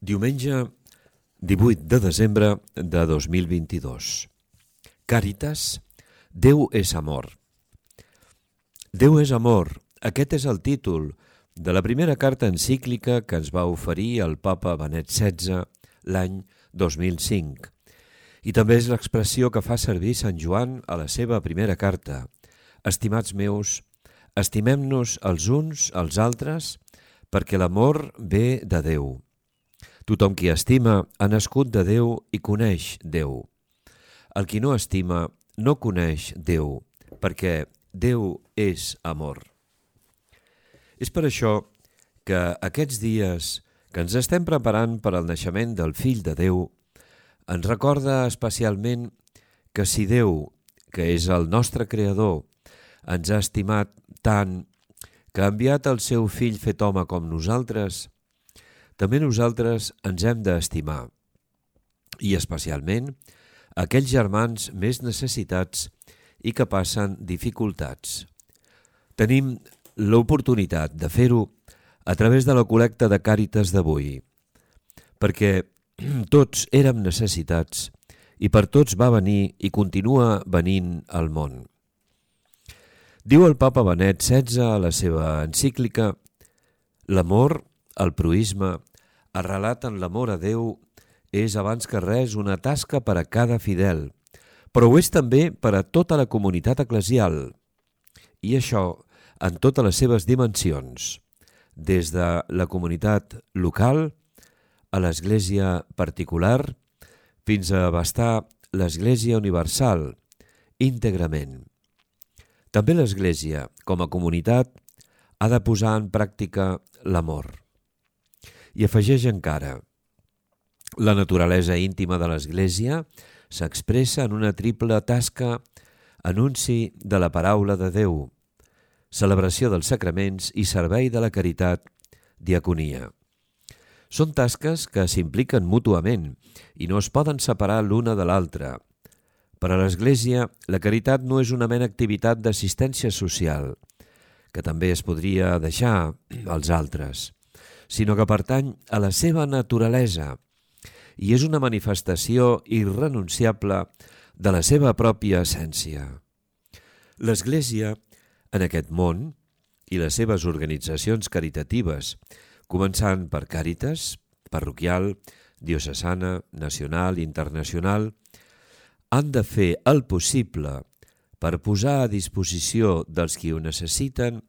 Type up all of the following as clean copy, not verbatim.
Diumenge 18 de desembre de 2022. Càritas, Déu és amor. Déu és amor, aquest és el títol de la primera carta encíclica que ens va oferir el papa Benet XVI l'any 2005. I també és l'expressió que fa servir Sant Joan a la seva primera carta. Estimats meus, estimem-nos els uns als altres perquè l'amor ve de Déu. Tothom qui estima ha nascut de Déu i coneix Déu. El qui no estima no coneix Déu, perquè Déu és amor. És per això que aquests dies que ens estem preparant per al naixement del Fill de Déu, ens recorda especialment que si Déu, que és el nostre Creador, ens ha estimat tant que ha enviat el seu Fill fet home com nosaltres, també nosaltres ens hem d'estimar, i especialment aquells germans més necessitats i que passen dificultats. Tenim l'oportunitat de fer-ho a través de la col·lecta de Càritas d'avui, perquè tots érem necessitats i per tots va venir i continua venint al món. Diu el papa Benet XVI a la seva encíclica: l'amor, el proïsme, arrelat en l'amor a Déu, és abans que res una tasca per a cada fidel, però ho és també per a tota la comunitat eclesial, i això en totes les seves dimensions, des de la comunitat local a l'església particular fins a abastar l'església universal íntegrament. També l'església, com a comunitat, ha de posar en pràctica l'amor. I afegeix encara: la naturalesa íntima de l'Església s'expressa en una triple tasca: anunci de la paraula de Déu, celebració dels sacraments i servei de la caritat, diaconia. Són tasques que s'impliquen mútuament i no es poden separar l'una de l'altra. Per a l'Església, la caritat no és una mera activitat d'assistència social, que també es podria deixar als altres, sinó que pertany a la seva naturalesa i és una manifestació irrenunciable de la seva pròpia essència. L'Església, en aquest món, i les seves organitzacions caritatives, començant per Càritas, parroquial, diocesana, nacional i internacional, han de fer el possible per posar a disposició dels qui ho necessiten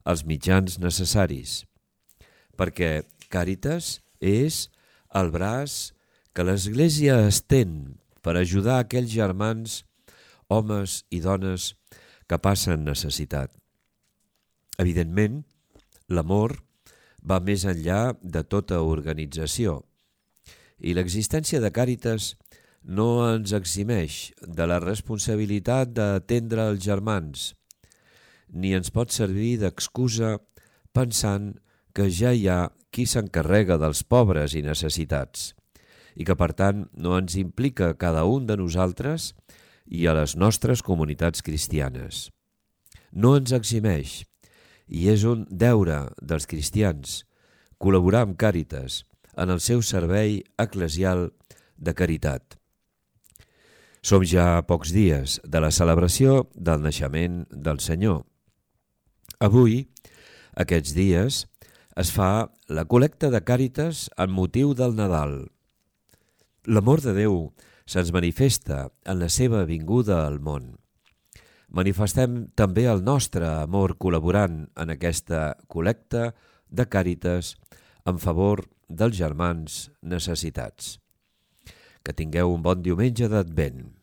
els mitjans necessaris, perquè Càritas és el braç que l'Església estén per ajudar aquells germans, homes i dones que passen necessitat. Evidentment, l'amor va més enllà de tota organització i l'existència de Càritas no ens eximeix de la responsabilitat d'atendre els germans, ni ens pot servir d'excusa pensant que ja hi ha qui s'encarrega dels pobres i necessitats i que per tant no ens implica a cada un de nosaltres i a les nostres comunitats cristianes. No ens eximeix i és un deure dels cristians col·laborar amb Càritas en el seu servei eclesial de caritat. Som ja a pocs dies de la celebració del naixement del Senyor. Avui, aquests dies, es fa la col·lecta de Càritas amb motiu del Nadal. L'amor de Déu se'ns manifesta en la seva vinguda al món. Manifestem també el nostre amor col·laborant en aquesta col·lecta de Càritas en favor dels germans necessitats. Que tingueu un bon diumenge d'Advent.